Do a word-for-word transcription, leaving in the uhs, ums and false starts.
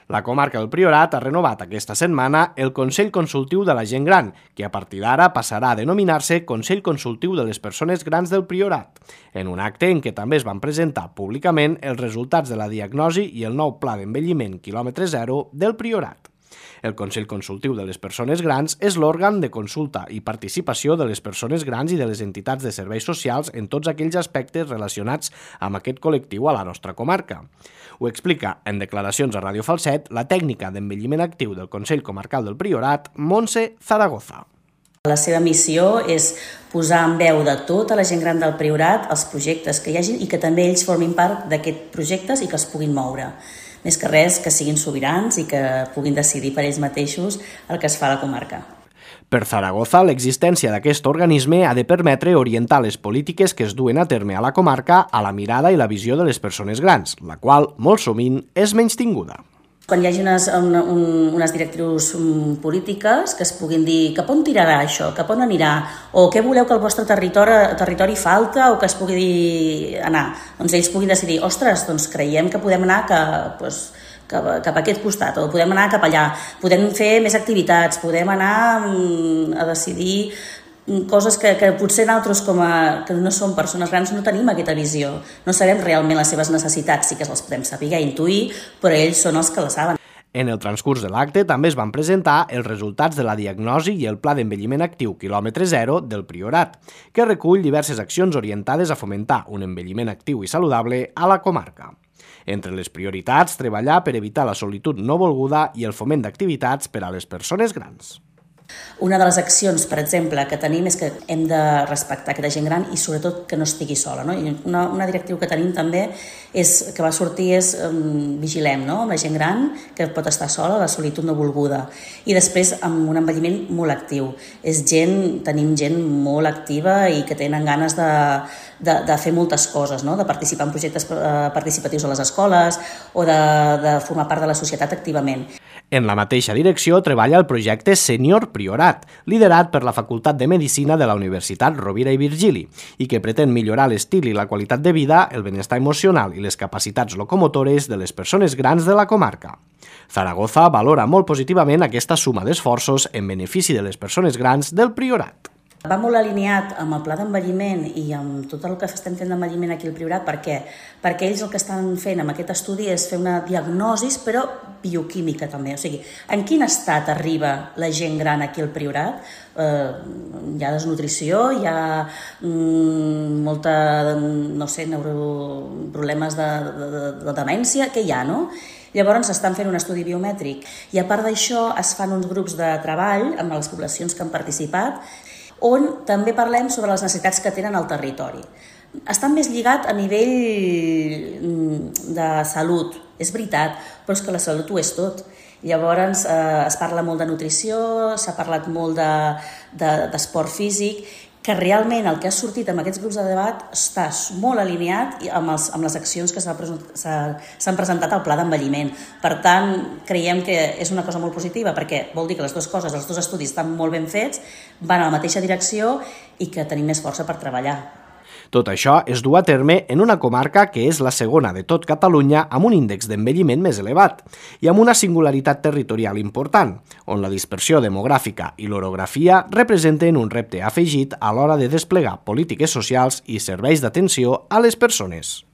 La comarca del Priorat ha renovat aquesta setmana el Consell Consultiu de la Gent Gran, que a partir d'ara passarà a denominar-se Consell Consultiu de les Persones Grans del Priorat, en un acte en què també es van presentar públicament els resultats de la diagnosi i el nou pla d'envelliment quilòmetre zero del Priorat. El Consell Consultiu de les Persones Grans és l'òrgan de consulta i participació de les persones grans i de les entitats de serveis socials en tots aquells aspectes relacionats amb aquest col·lectiu a la nostra comarca. Ho explica en declaracions a Ràdio Falset la tècnica d'envelliment actiu del Consell Comarcal del Priorat, Montse Zaragoza. La seva missió és posar en veu de tota la gent gran del Priorat els projectes que hi hagi i que també ells formin part d'aquests projectes i que els puguin moure. Més que res, que siguin sobirans i que puguin decidir per ells mateixos el que es fa a la comarca. Per Zaragoza, l'existència d'aquest organisme ha de permetre orientar les polítiques que es duen a terme a la comarca a la mirada i la visió de les persones grans, la qual, molt sovint, és menystinguda. Quan hi hagi unes, una, un, unes directrius polítiques que es puguin dir cap on tirarà això, cap on anirà, o què voleu que el vostre territori, territori falta o que es pugui dir anar, doncs ells puguin decidir, ostres, doncs creiem que podem anar que, doncs, cap, cap a aquest costat, o podem anar cap allà, podem fer més activitats, podem anar a decidir coses que, que potser nosaltres, com a, que no som persones grans, no tenim aquesta visió. No sabem realment les seves necessitats, sí que les podem saber, intuir, però ells són els que les saben. En el transcurs de l'acte també es van presentar els resultats de la diagnosi i el pla d'envelliment actiu quilòmetre zero del Priorat, que recull diverses accions orientades a fomentar un envelliment actiu i saludable a la comarca. Entre les prioritats, treballar per evitar la solitud no volguda i el foment d'activitats per a les persones grans. Una de les accions, per exemple, que tenim és que hem de respectar aquesta gent gran i sobretot que no estigui sola. No? I una, una directriu que tenim també és, que va sortir és um, vigilem, no? Amb la gent gran que pot estar sola, la solitud no volguda. I després amb un envelliment molt actiu. És gent, tenim gent molt activa i que tenen ganes de, de, de fer moltes coses, no? De participar en projectes participatius a les escoles o de, de formar part de la societat activament. En la mateixa direcció treballa el projecte Senior Priorat, liderat per la Facultat de Medicina de la Universitat Rovira i Virgili, i que pretén millorar l'estil i la qualitat de vida, el benestar emocional i les capacitats locomotores de les persones grans de la comarca. Zaragoza valora molt positivament aquesta suma d'esforços en benefici de les persones grans del Priorat. Va molt alineat amb el pla d'envelliment i amb tot el que estem fent d'envelliment aquí al Priorat. Per què? Perquè ells el que estan fent amb aquest estudi és fer una diagnosi, però bioquímica també. O sigui, en quin estat arriba la gent gran aquí al Priorat? Eh, hi ha desnutrició, hi ha mm, molta, no sé, neuro, problemes de, de, de, de demència, què hi ha, no? Llavors estan fent un estudi biomètric i a part d'això es fan uns grups de treball amb les poblacions que han participat on també parlem sobre les necessitats que tenen al territori. Està més lligat a nivell de salut, és veritat, però és que la salut ho és tot. Llavors eh, es parla molt de nutrició, s'ha parlat molt d'esport de, de, físic, que realment el que ha sortit amb aquests grups de debat està molt alineat amb, els, amb les accions que s'han presentat al pla d'envelliment. Per tant, creiem que és una cosa molt positiva perquè vol dir que les dues coses, els dos estudis estan molt ben fets, van a la mateixa direcció i que tenim més força per treballar. Tot això es du a terme en una comarca que és la segona de tot Catalunya amb un índex d'envelliment més elevat i amb una singularitat territorial important, on la dispersió demogràfica i l'orografia representen un repte afegit a l'hora de desplegar polítiques socials i serveis d'atenció a les persones.